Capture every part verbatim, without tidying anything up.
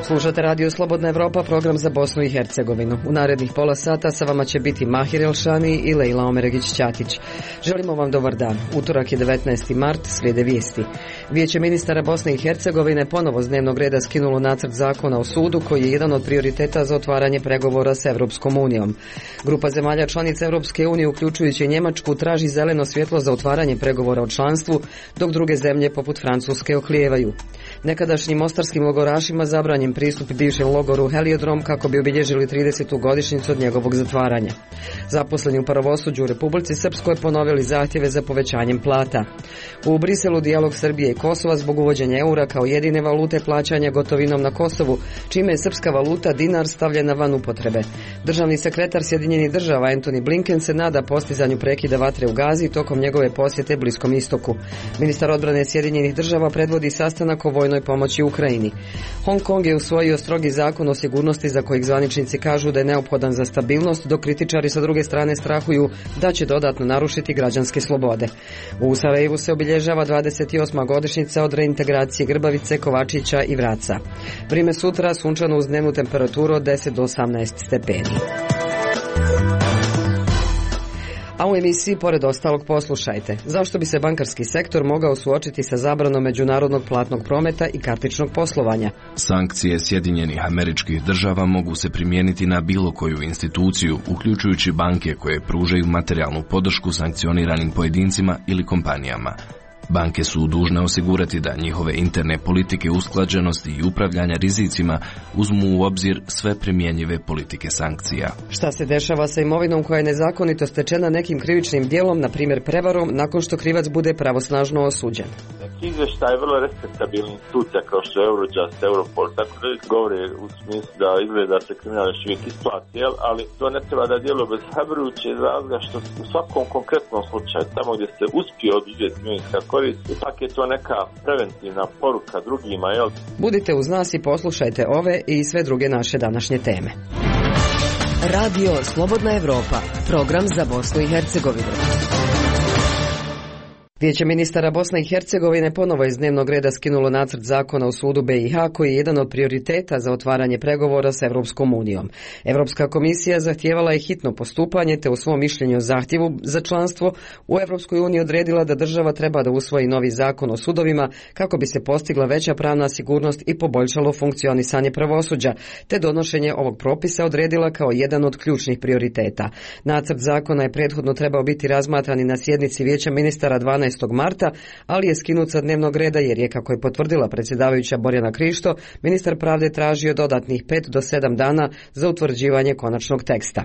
Slušate Radio Slobodna Evropa, program za Bosnu i Hercegovinu. U narednih pola sata sa vama će biti Mahir Elšani i Lejla Omeregić-Ćatić. Želimo vam dobar dan. Utorak je devetnaesti mart, slijede vijesti. Vijeće ministara Bosne i Hercegovine ponovo s dnevnog reda skinulo nacrt zakona o sudu koji je jedan od prioriteta za otvaranje pregovora s Evropskom unijom. Grupa zemalja članica Evropske unije, uključujući Njemačku, traži zeleno svjetlo za otvaranje pregovora o članstvu, dok druge zemlje poput Francuske oklijevaju. Nekadašnjim mostarskim logorašima zabranjen pristup bivšem logoru Heliodrom kako bi obilježili tridesetu godišnjicu od njegovog zatvaranja. Zaposleni u pravosuđu u Republici Srpskoj ponovili zahtjeve za povećanjem plata. U Briselu dijalog Srbije i Kosova zbog uvođenja eura kao jedine valute plaćanja gotovinom na Kosovu, čime je srpska valuta dinar stavljena van upotrebe. Državni sekretar Sjedinjenih država Antony Blinken se nada postizanju prekida vatre u Gazi tokom njegove posjete Bliskom istoku. Ministar odbrane Sjedinjenih država predvodi sastanak o vojnoj pomoći Ukrajini. Hong Kong je usvojio strogi zakon o sigurnosti za kojeg zvaničnici kažu da je neophodan za stabilnost, dok kritičari sa druge strane strahuju da će dodatno narušiti građanske slobode. U Sarajevu se obilježava dvadeset osma godišnjica od reintegracije Grbavice, Kovačića i Vraca. Vrijeme sutra sunčano uz dnevnu temperaturu od deset do osamnaest stepeni. A u emisiji pored ostalog poslušajte. Zašto bi se bankarski sektor mogao suočiti sa zabranom međunarodnog platnog prometa i kartičnog poslovanja? Sankcije Sjedinjenih Američkih Država mogu se primijeniti na bilo koju instituciju, uključujući banke koje pružaju materijalnu podršku sankcioniranim pojedincima ili kompanijama. Banke su dužne osigurati da njihove interne politike usklađenosti i upravljanja rizicima uzmu u obzir sve primjenjive politike sankcija. Šta se dešava sa imovinom koja je nezakonito stečena nekim krivičnim djelom, na primjer prevarom, nakon što krivac bude pravosnažno osuđen? Izvještaj je vrlo respektabilna institucija kao što je Eurojust, Europol, tako da govore u smislu da izgleda se kriminal još uvijek isplati, ali to ne treba da djeluje bez hrabrujuće iz razloga što u svakom konkretnom slučaju, tamo gdje se uspije oduzeti imovinska korist, ipak je to neka preventivna poruka drugima. Jel? Budite uz nas i poslušajte ove i sve druge naše današnje teme. Radio Slobodna Evropa, program za Bosnu i Hercegovinu. Vijeće ministara Bosne i Hercegovine ponovo iz dnevnog reda skinulo nacrt zakona o sudu B i H koji je jedan od prioriteta za otvaranje pregovora s Evropskom unijom. Evropska komisija zahtijevala je hitno postupanje te u svom mišljenju o zahtjevu za članstvo u Evropskoj uniji odredila da država treba da usvoji novi zakon o sudovima kako bi se postigla veća pravna sigurnost i poboljšalo funkcionisanje pravosuđa, te donošenje ovog propisa odredila kao jedan od ključnih prioriteta. Nacrt zakona je prethodno trebao biti razmatran i na sjednici Vijeća ministara dvanaestog marta, ali je skinut sa dnevnog reda jer je, kako je potvrdila predsjedavajuća Borjana Krišto, ministar pravde tražio dodatnih pet do sedam dana za utvrđivanje konačnog teksta.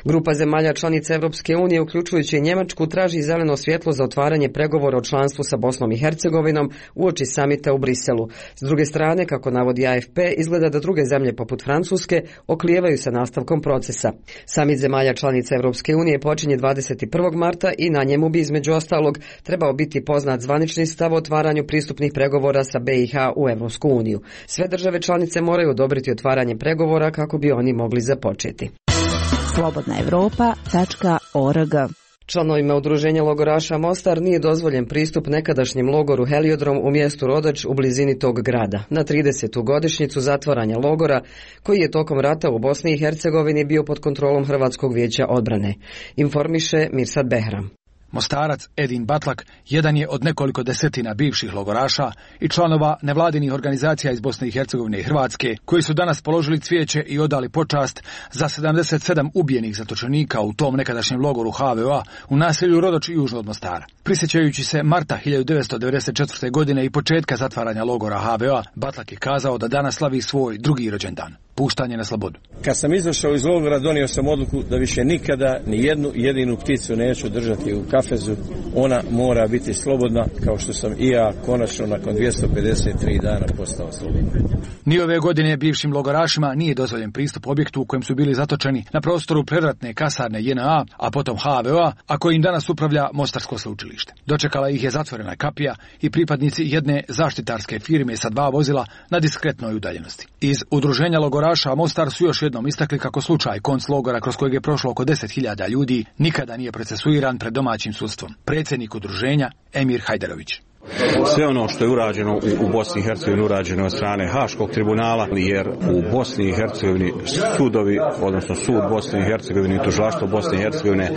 Grupa zemalja članica Evropske unije, uključujući i Njemačku, traži zeleno svjetlo za otvaranje pregovora o članstvu sa Bosnom i Hercegovinom uoči samita u Briselu. S druge strane, kako navodi A F P, izgleda da druge zemlje poput Francuske oklijevaju sa nastavkom procesa. Samit zemalja članica Evropske unije počinje dvadeset prvog marta i na njemu bi između ostalog trebao biti poznat zvanični stav o otvaranju pristupnih pregovora sa B i H u Evropsku uniju. Sve države članice moraju odobriti otvaranje pregovora kako bi oni mogli započeti. slobodna evropa tačka org. Članovima udruženja logoraša Mostar nije dozvoljen pristup nekadašnjem logoru Heliodrom u mjestu Rodač u blizini tog grada. Na tridesetu godišnjicu zatvaranja logora, koji je tokom rata u Bosni i Hercegovini bio pod kontrolom Hrvatskog vijeća odbrane. Informiše Mirsad Behram. Mostarac Edin Batlak jedan je od nekoliko desetina bivših logoraša i članova nevladinih organizacija iz Bosne i Hercegovine i Hrvatske, koji su danas položili cvijeće i odali počast za sedamdeset sedam ubijenih zatočenika u tom nekadašnjem logoru H V O A u naselju Rodač južno od Mostara. Prisjećajući se marta hiljadu devetsto devedeset četvrte. godine i početka zatvaranja logora H V O A, Batlak je kazao da danas slavi svoj drugi rođendan. Puštanje na slobodu. Kad sam izašao iz logora, donio sam odluku da više nikada ni jednu jedinu pticu neću držati u kafezu. Ona mora biti slobodna, kao što sam i ja konačno nakon dvjesto pedeset tri dana postao slobodan. Ni ove godine bivšim logorašima nije dozvoljen pristup objektu u kojem su bili zatočeni na prostoru predratne kasarne J N A, a potom H V O A, a kojim danas upravlja Mostarsko sveučilište. Dočekala ih je zatvorena kapija i pripadnici jedne zaštitarske firme sa dva vozila na diskretnoj udaljenosti. Iz udruženja logoraša logoraša Mostar su još jednom istakli kako slučaj konclogora kroz kojeg je prošlo oko deset hiljada ljudi nikada nije procesuiran pred domaćim sudstvom. Predsjednik udruženja Emir Hajderović. Sve ono što je urađeno u, u Bosni i Hercegovini urađeno od strane Haškog tribunala, jer u Bosni i Hercegovini sudovi, odnosno sud Bosne i Hercegovine i tužilaštvo Bosne i Hercegovine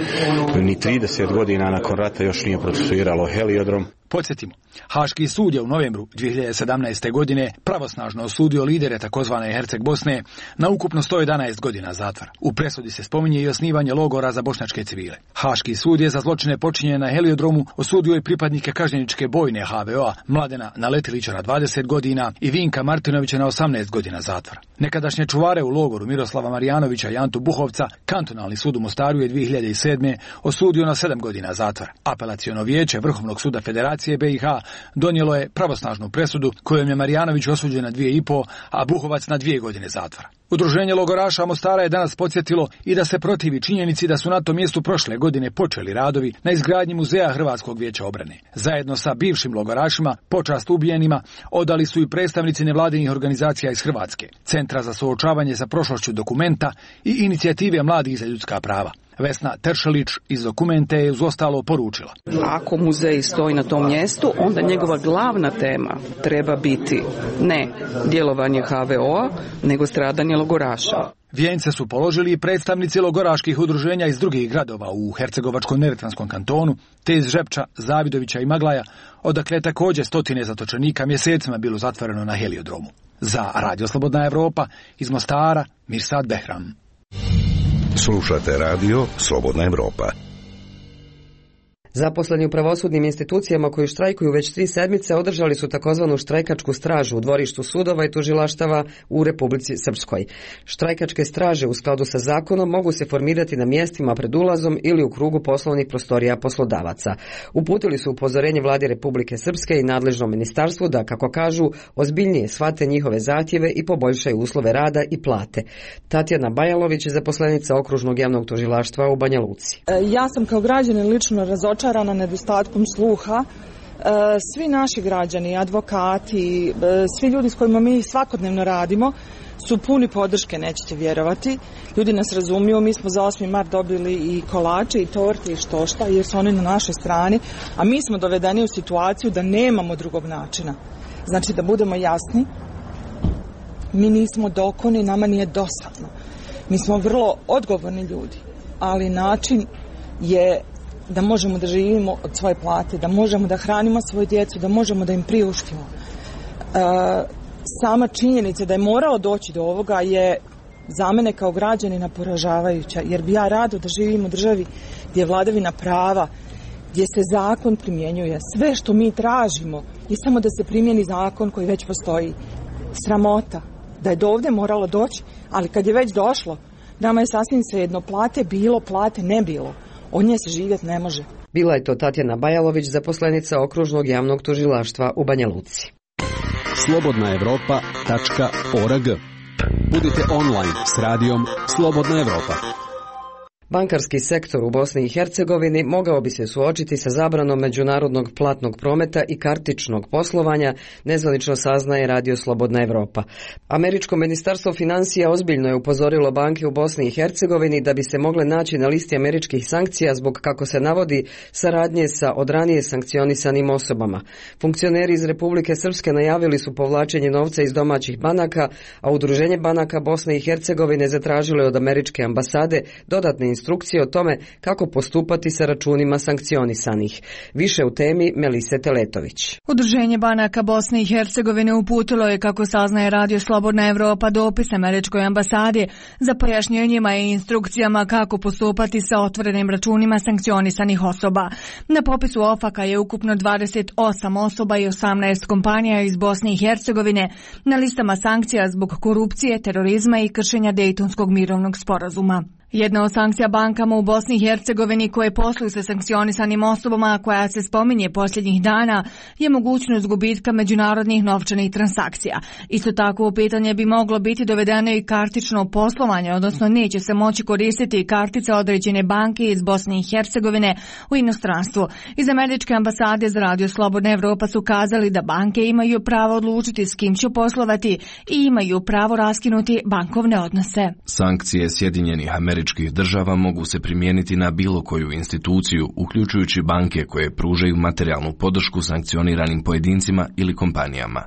ni trideset godina nakon rata još nije procesuiralo heliodrom. Podsjetimo, Haški sud je u novembru dvije hiljade sedamnaeste. godine pravosnažno osudio lidere takozvane Herceg Bosne na ukupno sto jedanaest godina zatvora. U presudi se spominje i osnivanje logora za bošnjačke civile. Haški sud je za zločine počinjene na heliodromu osudio i pripadnike kažnjeničke bojne ha ve o-a Mladena Naletilića na dvadeset godina i Vinka Martinovića na osamnaest godina zatvora. Nekadašnje čuvare u logoru Miroslava Marijanovića i Antu Buhovca Kantonalni sud u Mostaru je dvije hiljade sedme. osudio na sedam godina zatvora. Apelaciono vijeće Vrhovnog suda Federacije be i ha donijelo je pravosnažnu presudu kojom je Marijanović osuđen na dvije i po, a Buhovac na dvije godine zatvora. Udruženje logoraša Mostara je danas podsjetilo i da se protivi činjenici da su na tom mjestu prošle godine počeli radovi na izgradnji muzeja Hrvatskog vijeća obrane. Zajedno sa bivšim logorašima počast ubijenima odali su i predstavnici nevladinih organizacija iz Hrvatske, Centra za suočavanje sa prošlošću Dokumenta i Inicijative mladih za ljudska prava. Vesna Teršelić iz Dokumente je uz ostalo poručila. Ako muzej stoji na tom mjestu, onda njegova glavna tema treba biti ne djelovanje ha ve o-a, nego stradanje logoraša. Vijence su položili i predstavnici logoraških udruženja iz drugih gradova u Hercegovačko-neretvanskom kantonu, te iz Žepča, Zavidovića i Maglaja, odakle je također stotine zatočenika mjesecima bilo zatvoreno na heliodromu. Za Radio Slobodna Evropa iz Mostara, Mirsad Behram. Slušate radio Slobodna Evropa. Zaposleni u pravosudnim institucijama koji štrajkuju već tri sedmice održali su takozvanu štrajkačku stražu u dvorištu sudova i tužilaštava u Republici Srpskoj. Štrajkačke straže u skladu sa zakonom mogu se formirati na mjestima pred ulazom ili u krugu poslovnih prostorija poslodavaca. Uputili su upozorenje vladi Republike Srpske i nadležnom ministarstvu da, kako kažu, ozbiljnije shvate njihove zahtjeve i poboljšaju uslove rada i plate. Tatjana Bajalović je zaposlenica Okružnog javnog tužilaštva u Banja Luci. Ja sam kao građanin lično razočarana na nedostatkom sluha. Svi naši građani, advokati, svi ljudi s kojima mi svakodnevno radimo su puni podrške, nećete vjerovati. Ljudi nas razumiju, mi smo za osmi mart dobili i kolače i torte i što šta, jer su oni na našoj strani, a mi smo dovedeni u situaciju da nemamo drugog načina. Znači, da budemo jasni, mi nismo dokoni, nama nije dosadno. Mi smo vrlo odgovorni ljudi, ali način je da možemo da živimo od svoje plate, da možemo da hranimo svoju djecu, da možemo da im priuštimo. E, sama činjenica da je moralo doći do ovoga je za mene kao građanina poražavajuća, jer bi ja rado da živim u državi gdje je vladavina prava, gdje se zakon primjenjuje. Sve što mi tražimo je samo da se primjeni zakon koji već postoji. Sramota da je do ovdje moralo doći, ali kad je već došlo, nama je sasvim svejedno, plate bilo, plate ne bilo. Od nje se živjeti ne može. Bila je to Tatjana Bajalović, zaposlenica Okružnog javnog tužilaštva u Banja Luci. slobodna evropa tačka org. Budite online s radijom Slobodna Evropa. Bankarski sektor u Bosni i Hercegovini mogao bi se suočiti sa zabranom međunarodnog platnog prometa i kartičnog poslovanja, nezvanično saznaje Radio Slobodna Evropa. Američko ministarstvo financija ozbiljno je upozorilo banke u Bosni i Hercegovini da bi se mogle naći na listi američkih sankcija zbog, kako se navodi, saradnje sa od ranije sankcionisanim osobama. Funkcioneri iz Republike Srpske najavili su povlačenje novca iz domaćih banaka, a Udruženje banaka Bosne i Hercegovine zatražilo je od američke ambasade dodatne instrukcije o tome kako postupati sa računima sankcionisanih. Više u temi Melise Teletović. Udruženje banaka Bosne i Hercegovine uputilo je, kako saznaje Radio Slobodna Evropa, dopis američkoj ambasadi za pojašnjenjima i instrukcijama kako postupati sa otvorenim računima sankcionisanih osoba. Na popisu ofaka je ukupno dvadeset osam osoba i osamnaest kompanija iz Bosne i Hercegovine na listama sankcija zbog korupcije, terorizma i kršenja Dejtonskog mirovnog sporazuma. Jedna od sankcija bankama u Bosni i Hercegovini koje posluju sa sankcionisanim osobama koja se spominje posljednjih dana je mogućnost gubitka međunarodnih novčanih transakcija. Isto tako u pitanje bi moglo biti dovedeno i kartično poslovanje, odnosno neće se moći koristiti kartice određene banke iz Bosne i Hercegovine u inostranstvu. Iz američke ambasade za Radio Slobodna Evropa su kazali da banke imaju pravo odlučiti s kim će poslovati i imaju pravo raskinuti bankovne odnose. Sankcije Sjedinjenih Američkih Država mogu se primijeniti na bilo koju instituciju, uključujući banke koje pružaju materijalnu podršku sankcioniranim pojedincima ili kompanijama.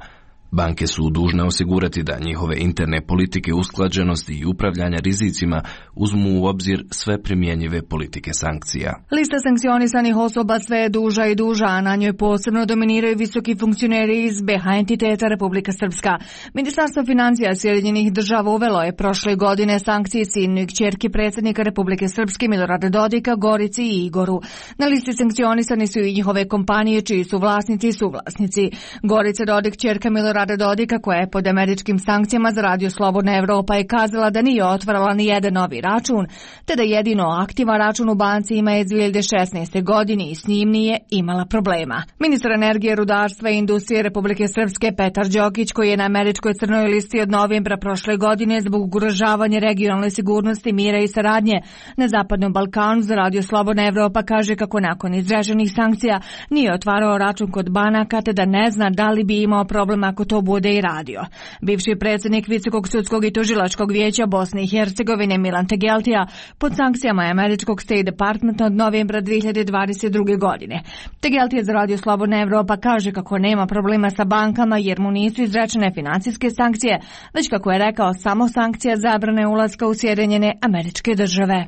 Banke su dužne osigurati da njihove interne politike usklađenosti i upravljanja rizicima uzmu u obzir sve primjenjive politike sankcija. Lista sankcionisanih osoba sve je duža i duža, a na njoj posebno dominiraju visoki funkcioneri iz B H entiteta Republika Srpska. Ministarstvo financija Sjedinjenih Država uvelo je prošle godine sankcije sinu i kćerki predsjednika Republike Srpske Milorada Dodika, Gorici i Igoru. Na listi sankcionisani su i njihove kompanije čiji su vlasnici i suvlasnici. Gorica Dodik, kćerka Milorada Dodika, koja je pod američkim sankcijama za Radio Slobodna Evropa, je kazala da nije otvarala ni jedan novi račun, te da jedino aktivan račun u banci ima iz dvije hiljade šesnaeste. godine i s njim nije imala problema. Ministar energije, rudarstva i industrije Republike Srpske Petar Đokić, koji je na američkoj crnoj listi od novembra prošle godine zbog ugrožavanja regionalne sigurnosti, mira i saradnje na Zapadnom Balkanu za Radio Slobodna Evropa, kaže kako nakon izraženih sankcija nije otvarao račun kod banaka, te da ne zna da li bi imao problem ako to bude i radio. Bivši predsjednik Visokog sudskog i tužilačkog vijeća Bosne i Hercegovine Milan Tegeltija pod sankcijama američkog State Departmenta od novembra dvije hiljade dvadeset druge. godine. Tegeltija za Radio Slobodna Evropa kaže kako nema problema sa bankama jer mu nisu izrečene financijske sankcije, već kako je rekao samo sankcija zabrane ulaska u Sjedinjene Američke Države.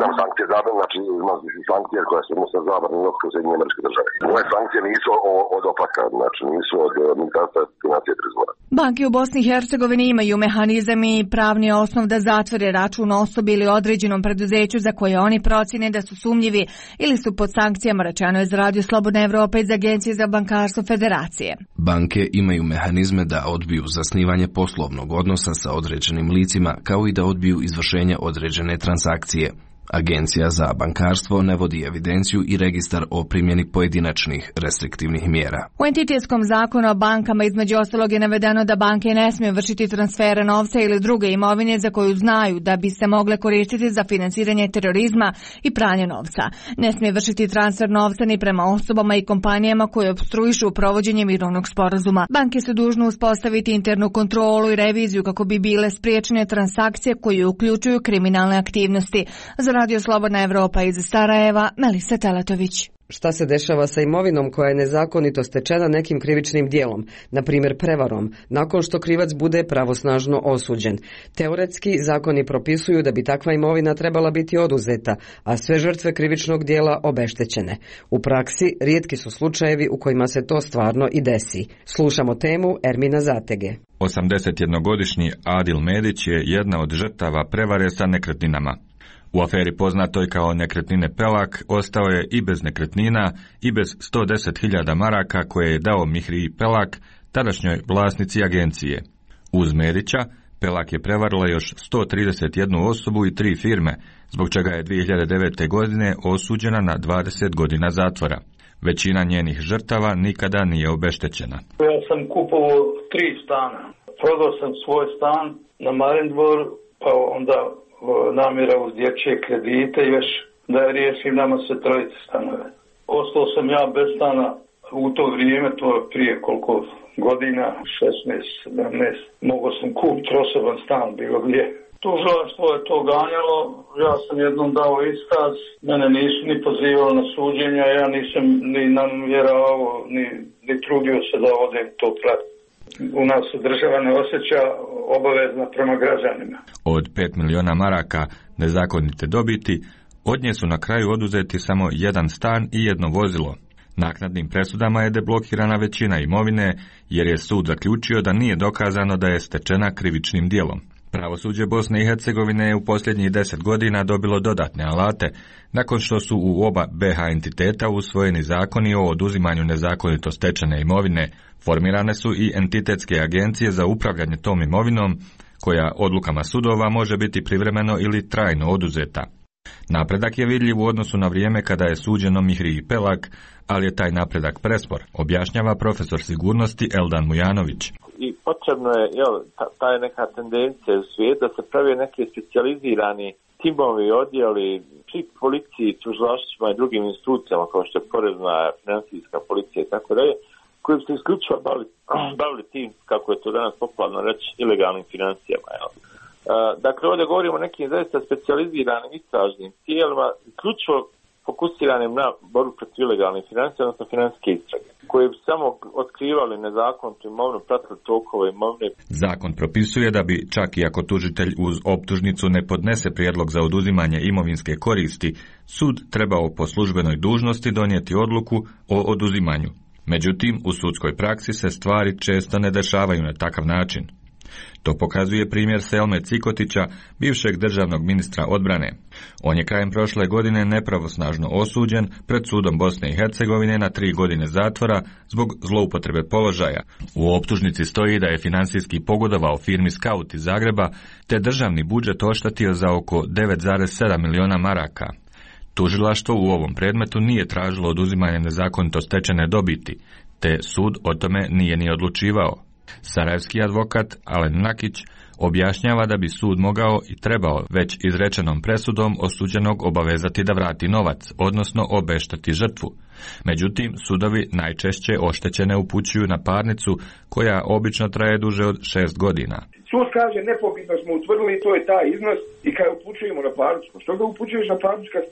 Da, sankcije zabrane, znači imamo sankcije koje se odnose na zabranu ulaska u Sjedinjene Američke Države. Ove sankcije nisu od opaka, znači nisu od Ministarstva financija i trezora. Banke u Bosni i Hercegovini imaju mehanizam i pravni osnov da zatvore račun osobi ili određenom preduzeću za koje oni procjene da su sumnjivi ili su pod sankcijama, rečeno je za Radio Slobodna Evropa iz Agencije za bankarstvo Federacije. Banke imaju mehanizme da odbiju zasnivanje poslovnog odnosa sa određenim licima, kao i da odbiju izvršenje određene transakcije. Agencija za bankarstvo ne vodi evidenciju i registar o primjeni pojedinačnih restriktivnih mjera. U entitetskom zakonu o bankama između ostalog je navedeno da banke ne smiju vršiti transfere novca ili druge imovine za koju znaju da bi se mogle koristiti za financiranje terorizma i pranje novca. Ne smije vršiti transfer novca ni prema osobama i kompanijama koje opstruišu provođenje mirovnog sporazuma. Banke su dužne uspostaviti internu kontrolu i reviziju kako bi bile spriječene transakcije koje uključuju kriminalne aktivnosti. Za Radio Slobodna Evropa iz Sarajeva, Melisa Teletović. Šta se dešava sa imovinom koja je nezakonito stečena nekim krivičnim dijelom, na primjer prevarom, nakon što krivac bude pravosnažno osuđen? Teoretski, zakoni propisuju da bi takva imovina trebala biti oduzeta, a sve žrtve krivičnog dijela obeštećene. U praksi, rijetki su slučajevi u kojima se to stvarno i desi. Slušamo temu Ermina Zatege. osamdesetjednogodišnji Adil Medić je jedna od žrtava prevare sa nekretninama. U aferi poznatoj kao nekretnine Pelak ostao je i bez nekretnina i bez sto deset hiljada maraka koje je dao Mihriji Pelak, tadašnjoj vlasnici agencije. Uz Medića, Pelak je prevarila još sto trideset jednu osobu i tri firme, zbog čega je dvije hiljade devete. godine osuđena na dvadeset godina zatvora. Većina njenih žrtava nikada nije obeštećena. Ja sam kupovao tri stana. Prodao sam svoj stan na Marindvor, pa onda namjera uz dječje kredite još da je riješim nama sve trojice stanove. Ostao sam ja bez stana u to vrijeme, to je prije koliko godina, šesnaest sedamnaest. Mogao sam kupiti osoban stan bilo gdje. Tužilaštvo je to ganjalo, ja sam jednom dao iskaz, mene nisu ni pozivali na suđenja, ja nisam ni namjeravao, ni, ni trudio se da odem to pratiti. U nas država ne osjeća obavezna prema građanima. Od pet miliona maraka nezakonite dobiti, od nje su na kraju oduzeti samo jedan stan i jedno vozilo. Naknadnim presudama je deblokirana većina imovine, jer je sud zaključio da nije dokazano da je stečena krivičnim djelom. Pravosuđe Bosne i Hercegovine je u posljednjih deset godina dobilo dodatne alate, nakon što su u oba B H entiteta usvojeni zakoni o oduzimanju nezakonito stečene imovine. Formirane su i entitetske agencije za upravljanje tom imovinom, koja odlukama sudova može biti privremeno ili trajno oduzeta. Napredak je vidljiv u odnosu na vrijeme kada je suđeno Mihriji Pelak, ali je taj napredak prespor, objašnjava profesor sigurnosti Eldan Mujanović. I potrebno je, jel, ta, ta je neka tendencija u svijetu da se prave neke specijalizirani timovi, odjeli pri policiji, tužilaštvima i drugim institucijama kao što je porezna, financijska policija i tako dalje, koji bi se isključivo bavili, bavili tim, kako je to danas popularno reći, ilegalnim financijama. Jel. Uh, dakle, ovdje govorimo o nekim zaista specijaliziranim istražnim tijelima, isključivo fokusiranim na borbu protiv ilegalnih financija, odnosno financijske istrage, koje bi samo otkrivali nezakonitu imovinu, pratili tokove imovine. Zakon propisuje da bi, čak i ako tužitelj uz optužnicu ne podnese prijedlog za oduzimanje imovinske koristi, sud trebao po službenoj dužnosti donijeti odluku o oduzimanju. Međutim, u sudskoj praksi se stvari često ne dešavaju na takav način. To pokazuje primjer Selme Cikotića, bivšeg državnog ministra odbrane. On je krajem prošle godine nepravosnažno osuđen pred sudom Bosne i Hercegovine na tri godine zatvora zbog zloupotrebe položaja. U optužnici stoji da je finansijski pogodovao firmi Scout iz Zagreba, te državni budžet oštetio za oko devet zarez sedam miliona maraka. Tužilaštvo u ovom predmetu nije tražilo oduzimanje nezakonito stečene dobiti, te sud o tome nije ni odlučivao. Sarajevski advokat Alen Nakić objašnjava da bi sud mogao i trebao već izrečenom presudom osuđenog obavezati da vrati novac, odnosno obešteti žrtvu. Međutim, sudovi najčešće oštećene upućuju na parnicu koja obično traje duže od šest godina. Sud kaže nepobitno smo utvrdili, to je taj iznos i kad upućujemo na parnicu. Što ga upućuješ na parnicu kad,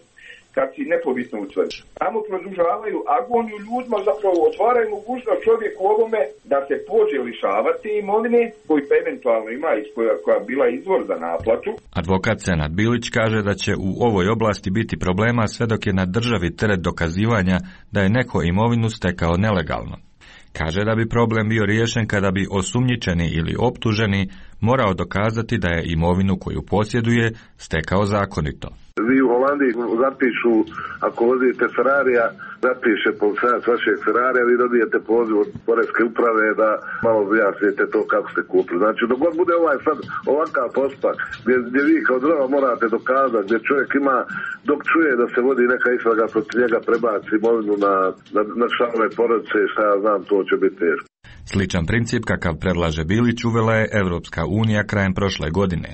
kad si nepobitno utvrdi? Tamo produžavaju agoniju ljudima, zapravo otvaraju mogućnost čovjeku ovome da se pođe lišavati imovine koji eventualno ima iz koja, koja bila izvor za naplatu. Advokat Senad Bilić kaže da će u ovoj oblasti biti problema sve dok je na državi teret dokazivanja da je neko imovinu stekao nelegalno. Kaže da bi problem bio riješen kada bi osumnjičeni ili optuženi morao dokazati da je imovinu koju posjeduje stekao zakonito. Vi u Holandiji zapišu, ako vozite Ferrarija, zapiše policajac vašeg Ferrarija, vi dobijete poziv od poreske uprave da malo objasnite to kako ste kupili. Znači, dok god bude ovaj sad ovakav postupak, gdje, gdje vi kao država morate dokazati, gdje čovjek ima, dok čuje da se vodi neka istraga protiv njega, prebaci imovinu na, na, na članove porodice, šta ja znam, to će biti teško. Sličan princip kakav predlaže Bilić uvela je Evropska unija krajem prošle godine.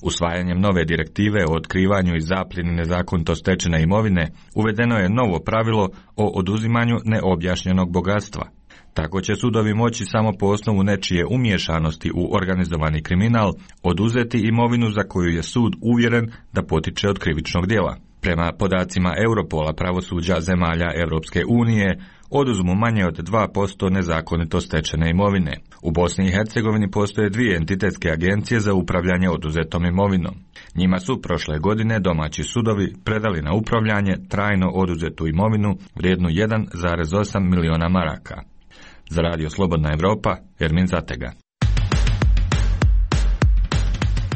Usvajanjem nove direktive o otkrivanju i zapljeni nezakonito stečene imovine uvedeno je novo pravilo o oduzimanju neobjašnjenog bogatstva. Tako će sudovi moći samo po osnovu nečije umiješanosti u organizovani kriminal oduzeti imovinu za koju je sud uvjeren da potiče od krivičnog djela. Prema podacima Europola pravosuđa zemalja Europske unije, oduzmu manje od dva posto nezakonito stečene imovine. U Bosni i Hercegovini postoje dvije entitetske agencije za upravljanje oduzetom imovinom. Njima su prošle godine domaći sudovi predali na upravljanje trajno oduzetu imovinu vrijednu jedan zarez osam miliona maraka. Za Radio Slobodna Evropa, Ermin Zatega.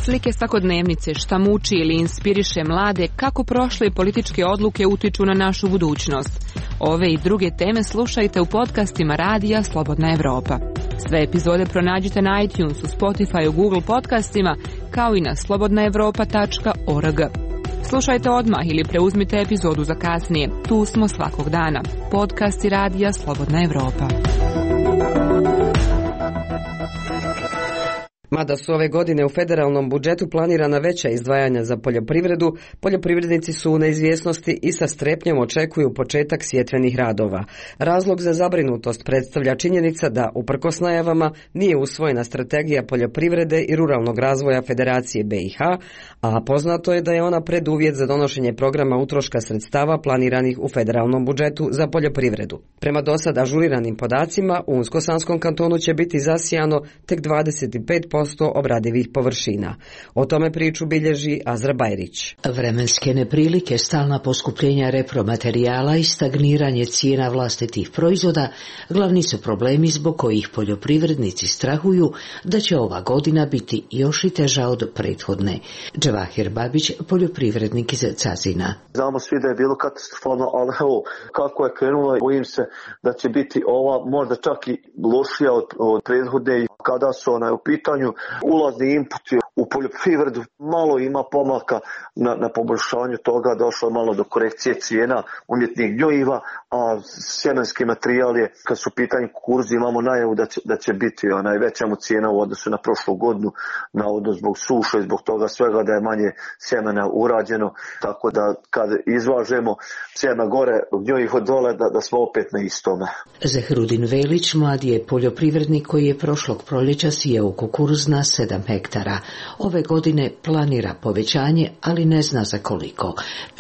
Slike svakodnevnice, šta muči ili inspiriše mlade, kako prošle političke odluke utiču na našu budućnost. Ove i druge teme slušajte u podcastima Radija Slobodna Evropa. Sve epizode pronađite na iTunesu, Spotifyu, Google podcastima, kao i na slobodna evropa tačka org. Slušajte odmah ili preuzmite epizodu za kasnije. Tu smo svakog dana. Podcasti Radija Slobodna Evropa. Mada su ove godine u federalnom budžetu planirana veća izdvajanja za poljoprivredu, poljoprivrednici su u neizvjesnosti i sa strepnjom očekuju početak sjetvenih radova. Razlog za zabrinutost predstavlja činjenica da, uprkos najavama, nije usvojena strategija poljoprivrede i ruralnog razvoja Federacije B i H, a poznato je da je ona preduvjet za donošenje programa utroška sredstava planiranih u federalnom budžetu za poljoprivredu. Prema dosad ažuriranim podacima, u Unsko-Sanskom kantonu će biti zasijano tek dvadeset pet posto obradivih površina. O tome priču bilježi Azra Bajrić. Vremenske neprilike, stalna poskupljenja repromaterijala i stagniranje cijena vlastitih proizvoda glavni su problemi zbog kojih poljoprivrednici strahuju da će ova godina biti još i teža od prethodne. Džavahir Babić, poljoprivrednik iz Cazina. Znamo svi da je bilo katastrofalno, ali evo kako je krenulo, bojim se da će biti ova možda čak i lošija od, od prethodne. Kada su onaj u pitanju ulazni inputi u poljoprivredu, malo ima pomaka na, na poboljšanju toga, došlo je malo do korekcije cijena umjetnih gnojiva, a sjemenski materijal je, kad su u pitanju kukuruz, imamo najavu da će, da će biti onaj veća mu cijena u odnosu na prošlu godinu, na odnos zbog suše i zbog toga svega da je manje sjemena urađeno, tako da kad izvažemo sjeme gore, gnjojivo dole, da, da smo opet na istome. Zahrudin Velić mlad je poljoprivrednik koji je prošlog proljeća sijao kukuruz na sedam hektara. Ove godine planira povećanje, ali ne zna za koliko.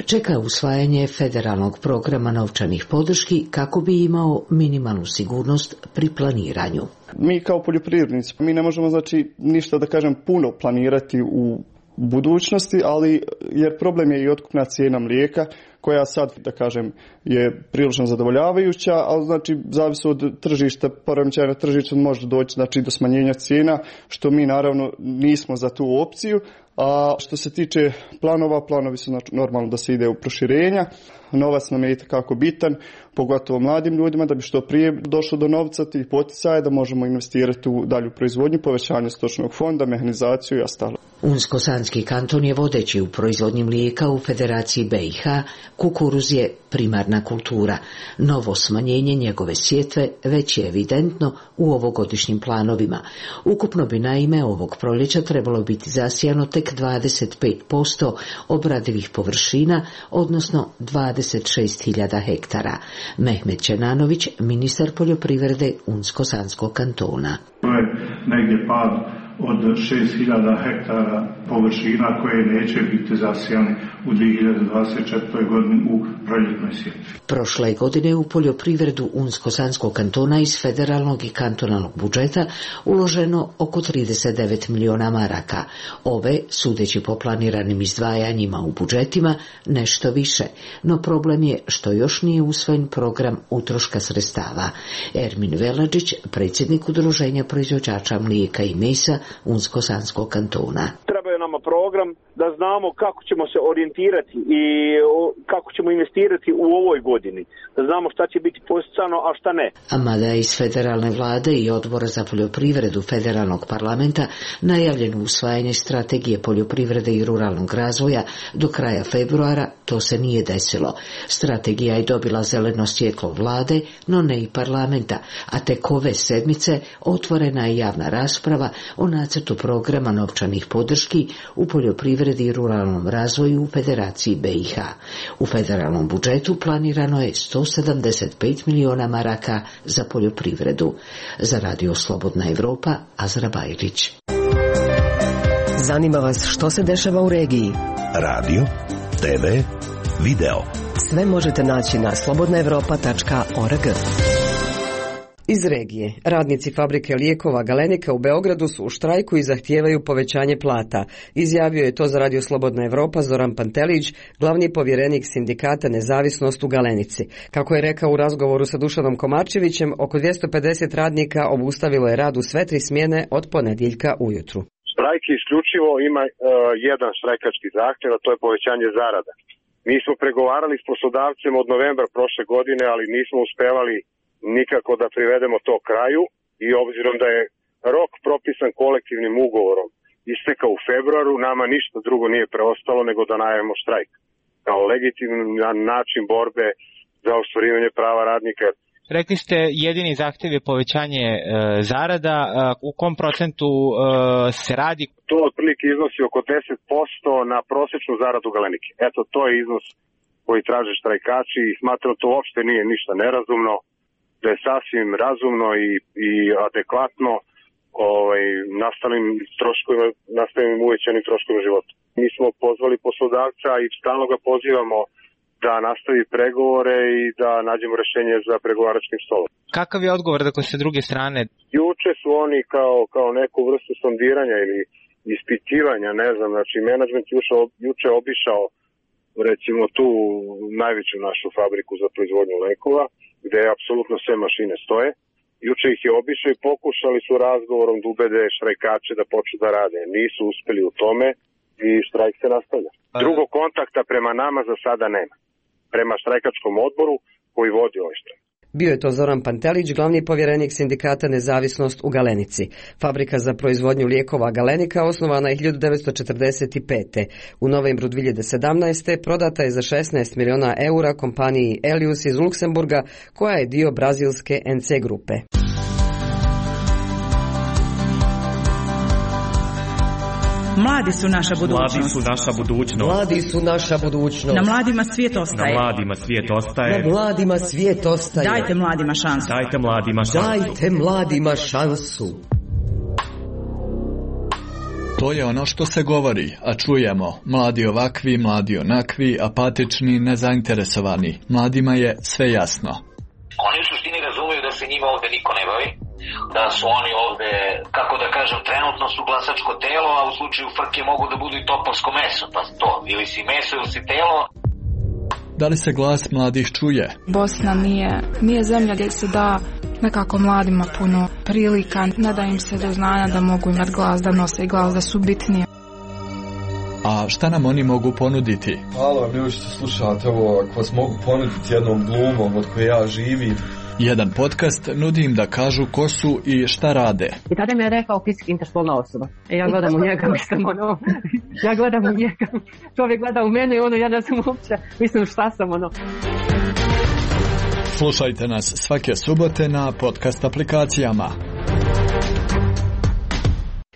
Čeka usvajanje federalnog programa novčanih podrški kako bi imao minimalnu sigurnost pri planiranju. Mi kao poljoprivrednici, mi ne možemo znači ništa da kažem puno planirati u budućnosti, ali jer problem je i otkupna cijena mlijeka koja sad, da kažem, je prilično zadovoljavajuća, ali znači zavisi od tržišta, poremećaja na tržištu može doći znači do smanjenja cijena, što mi naravno nismo za tu opciju. A što se tiče planova, planovi su znači normalno da se ide u proširenja. Novac nam je itekako bitan, pogotovo mladim ljudima, da bi što prije došlo do novca tih poticaja, da možemo investirati u dalju proizvodnju, povećanje stočnog fonda, mehanizaciju i ostalo. Unsko-sanski kanton je vodeći u proizvodnji mlijeka u Federaciji B i H, kukuruz je primarna kultura. Novo smanjenje njegove sjetve već je evidentno u ovogodišnjim planovima. Ukupno bi naime ovog proljeća trebalo biti zasijano tek dvadeset pet posto obradivih površina, odnosno dvadeset šest hiljada hektara. Mehmet Čenanović, ministar poljoprivrede Unsko-sanskog kantona. To je negdje pad od šest hiljada hektara površina koje neće biti zasijane u dvije hiljade dvadeset četvrtoj godini u proljetnoj sjetvi. Prošle godine u poljoprivredu Unsko-sanskog kantona iz federalnog i kantonalnog budžeta uloženo oko trideset devet miliona maraka. Ove, sudeći po planiranim izdvajanjima u budžetima, nešto više. No problem je što još nije usvojen program utroška sredstava. Ermin Veladžić, predsjednik Udruženja proizvođača mlijeka i mesa Unsko-sanskog kantona. Treba je nama program da znamo kako ćemo se orijentirati i kako ćemo investirati u ovoj godini. Da znamo šta će biti posticano, a šta ne. A mada iz federalne vlade i odbora za poljoprivredu federalnog parlamenta najavljeno usvajanje strategije poljoprivrede i ruralnog razvoja do kraja februara, to se nije desilo. Strategija je dobila zeleno svjetlo vlade, no ne i parlamenta, a tek ove sedmice otvorena je javna rasprava o nacrtu programa novčanih podrški u poljoprivredi i ruralnom razvoju u Federaciji B i H. U federalnom budžetu planirano je sto sedamdeset pet miliona maraka za poljoprivredu. Za Radio Slobodna Evropa, Azra Bajrić. Zanima vas što se dešava u regiji? Radio, te ve, video. Sve možete naći na slobodna evropa tačka org. Iz regije, radnici fabrike lijekova Galenika u Beogradu su u štrajku i zahtijevaju povećanje plata. Izjavio je to za Radio Slobodna Evropa Zoran Pantelić, glavni povjerenik sindikata Nezavisnost u Galenici. Kako je rekao u razgovoru sa Dušanom Komarčevićem, oko dvjesto pedeset radnika obustavilo je rad u sve tri smjene od ponedjeljka ujutru. Štrajk isključivo ima uh, jedan štrajkački zahtjev, a to je povećanje zarada. Mi smo pregovarali s poslodavcem od novembra prošle godine, ali nismo uspevali nikako da privedemo to kraju i obzirom da je rok propisan kolektivnim ugovorom istekao u februaru, nama ništa drugo nije preostalo nego da najavimo štrajk kao legitiman način borbe za ostvarivanje prava radnika. Rekli ste jedini zahtjev je povećanje e, zarada, e, u kom procentu e, se radi? To otprilike iznosi oko deset posto na prosječnu zaradu Galenike. Eto, to je iznos koji traže štrajkači i smatram to uopšte nije ništa nerazumno, da je sasvim razumno i, i adekvatno ovaj, nastalim troškovima, nastavim uvećanim troškovima života. Mi smo pozvali poslodavca i stalno ga pozivamo da nastavi pregovore i da nađemo rješenje za pregovaračkim stolom. Kakav je odgovor dakle sa druge strane? Juče su oni kao, kao neku vrstu sondiranja ili ispitivanja, ne znam, znači menadžment juče, juče obišao recimo tu najveću našu fabriku za proizvodnju lekova, gdje apsolutno sve mašine stoje. Juče ih je obišao i pokušali su razgovorom da ubede štrajkače da počnu da rade. Nisu uspjeli u tome i štrajk se nastavlja. Drugog kontakta prema nama za sada nema. Prema štrajkačkom odboru koji vodi ovaj štrajk. Bio je to Zoran Pantelić, glavni povjerenik sindikata Nezavisnost u Galenici. Fabrika za proizvodnju lijekova Galenika osnovana je hiljadu devetsto četrdeset pete. U novembru dvije hiljade sedamnaeste. prodata je za šesnaest miliona eura kompaniji Elius iz Luksemburga, koja je dio brazilske en ce grupe. Mladi su naša budućnost. Mladi su naša budućnost. Mladi su naša budućnost. Na mladima svijet ostaje. Na mladima svijet ostaje. Na mladima svijet ostaje. Dajte mladima šansu. Dajte mladima šansu. Dajte mladima šansu. To je ono što se govori, a čujemo. Mladi ovakvi, mladi onakvi, apatični, nezainteresovani. Mladima je sve jasno. Oni u suštini razumiju da se njima ovde niko ne bavi, da su oni ovde, kako da kažem, trenutno su glasačko telo, a u slučaju frke mogu da budu i topovsko meso, pa to, ili si meso ili si telo. Da li se glas mladih čuje? Bosna nije, nije zemlja gdje se da nekako mladima puno prilika, ne da im se do znanja da mogu imati glas, da nose glas, da su bitnije. A šta nam oni mogu ponuditi? Halo, ljudi što slušate ovo, ako vas mogu ponuditi jednom glumom od koje ja živim. Jedan podcast nudi im da kažu ko su i šta rade. I tada mi je rekao fizički interspolna osoba. E ja gledam u njega, mislim ono, ja gledam u njega, čovjek gleda u mene i ono, ja ne znam uopće, mislim šta sam ono. Slušajte nas svake subote na podcast aplikacijama.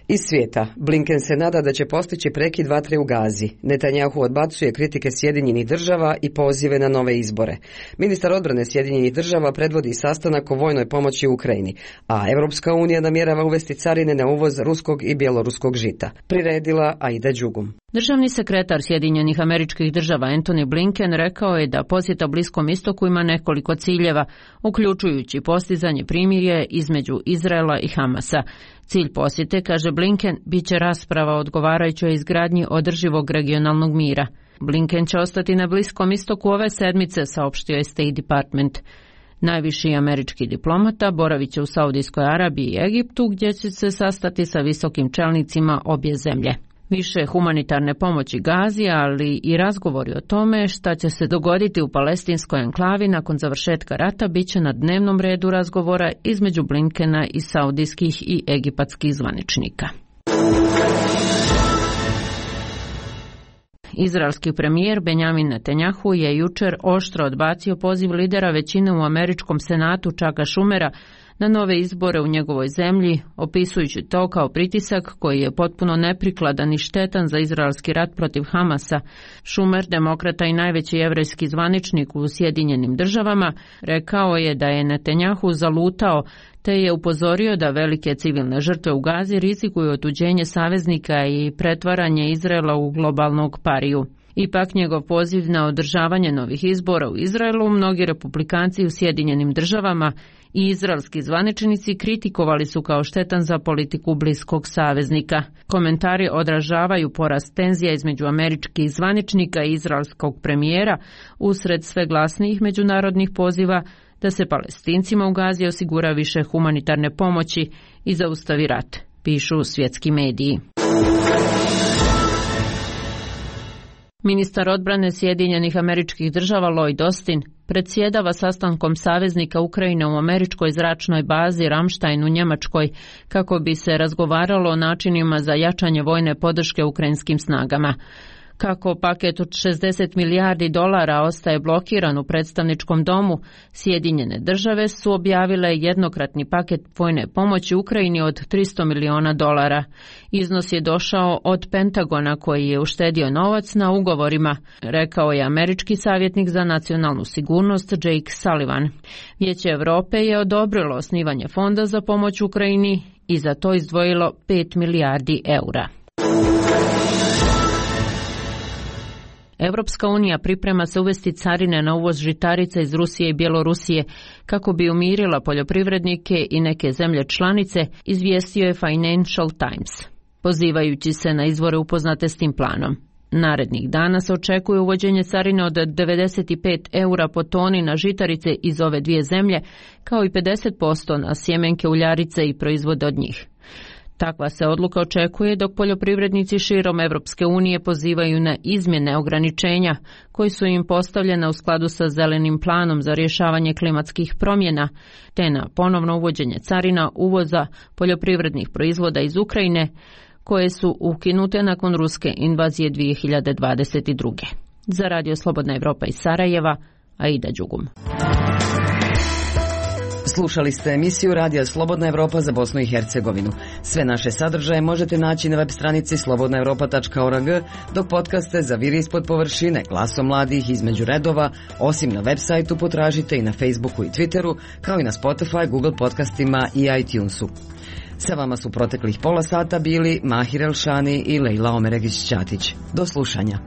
Iz svijeta, Blinken se nada da će postići prekid vatre u Gazi. Netanjahu odbacuje kritike Sjedinjenih država i pozive na nove izbore. Ministar odbrane Sjedinjenih država predvodi sastanak o vojnoj pomoći u Ukrajini, a Europska unija namjerava uvesti carine na uvoz ruskog i bjeloruskog žita. Priredila Aida Đugum. Državni sekretar Sjedinjenih Američkih Država Antony Blinken rekao je da posjeta Bliskom istoku ima nekoliko ciljeva, uključujući postizanje primirje između Izraela i Hamasa. Cilj posjete, kaže Blinken, bit će rasprava o odgovarajućoj izgradnji održivog regionalnog mira. Blinken će ostati na Bliskom istoku ove sedmice, saopštio je State Department. Najviši američki diplomata boravit će u Saudijskoj Arabiji i Egiptu, gdje će se sastati sa visokim čelnicima obje zemlje. Više humanitarne pomoći Gazi, ali i razgovori o tome šta će se dogoditi u palestinskoj enklavi nakon završetka rata bit će na dnevnom redu razgovora između Blinkena i saudijskih i egipatskih zvaničnika. Izraelski premijer Benjamin Netanjahu je jučer oštro odbacio poziv lidera većine u američkom senatu Chucka Schumera na nove izbore u njegovoj zemlji, opisujući to kao pritisak koji je potpuno neprikladan i štetan za izraelski rat protiv Hamasa. Schumer, demokrata i najveći jevrejski zvaničnik u Sjedinjenim državama, rekao je da je Netanjahu zalutao, te je upozorio da velike civilne žrtve u Gazi rizikuju otuđenje saveznika i pretvaranje Izraela u globalnog pariju. Ipak njegov poziv na održavanje novih izbora u Izraelu mnogi republikanci u Sjedinjenim državama i izraelski zvaničnici kritikovali su kao štetan za politiku bliskog saveznika. Komentari odražavaju porast tenzija između američkih zvaničnika i izraelskog premijera usred sve glasnijih međunarodnih poziva da se Palestincima u Gazi osigura više humanitarne pomoći i zaustavi rat, pišu svjetski mediji. Ministar odbrane Sjedinjenih Američkih Država Lloyd Austin predsjedava sastankom saveznika Ukrajine u američkoj zračnoj bazi Ramstein u Njemačkoj kako bi se razgovaralo o načinima za jačanje vojne podrške ukrajinskim snagama. Kako paket od šezdeset milijardi dolara ostaje blokiran u predstavničkom domu, Sjedinjene države su objavile jednokratni paket vojne pomoći Ukrajini od tristo miliona dolara. Iznos je došao od Pentagona koji je uštedio novac na ugovorima, rekao je američki savjetnik za nacionalnu sigurnost Jake Sullivan. Vijeće Europe je odobrilo osnivanje fonda za pomoć Ukrajini i za to izdvojilo pet milijardi eura. Europska unija priprema se uvesti carine na uvoz žitarica iz Rusije i Bjelorusije kako bi umirila poljoprivrednike i neke zemlje članice, izvijestio je Financial Times, pozivajući se na izvore upoznate s tim planom. Narednih dana se očekuje uvođenje carine od devedeset pet eura po toni na žitarice iz ove dvije zemlje, kao i pedeset posto na sjemenke uljarice i proizvode od njih. Takva se odluka očekuje dok poljoprivrednici širom Evropske unije pozivaju na izmjene ograničenja koji su im postavljena u skladu sa zelenim planom za rješavanje klimatskih promjena, te na ponovno uvođenje carina uvoza poljoprivrednih proizvoda iz Ukrajine, koje su ukinute nakon ruske invazije dvije hiljade dvadeset druge. Za Radio Slobodna Evropa iz Sarajeva, Aida Đugum. Slušali ste emisiju Radija Slobodna Evropa za Bosnu i Hercegovinu. Sve naše sadržaje možete naći na web stranici slobodna europa tačka org, dok podcaste za Viri ispod površine, Glasom mladih, Između redova, osim na web sajtu potražite i na Facebooku i Twitteru, kao i na Spotify, Google podcastima i iTunesu. Sa vama su proteklih pola sata bili Mahir Elšani i Lejla Omeregić-Ćatić. Do slušanja.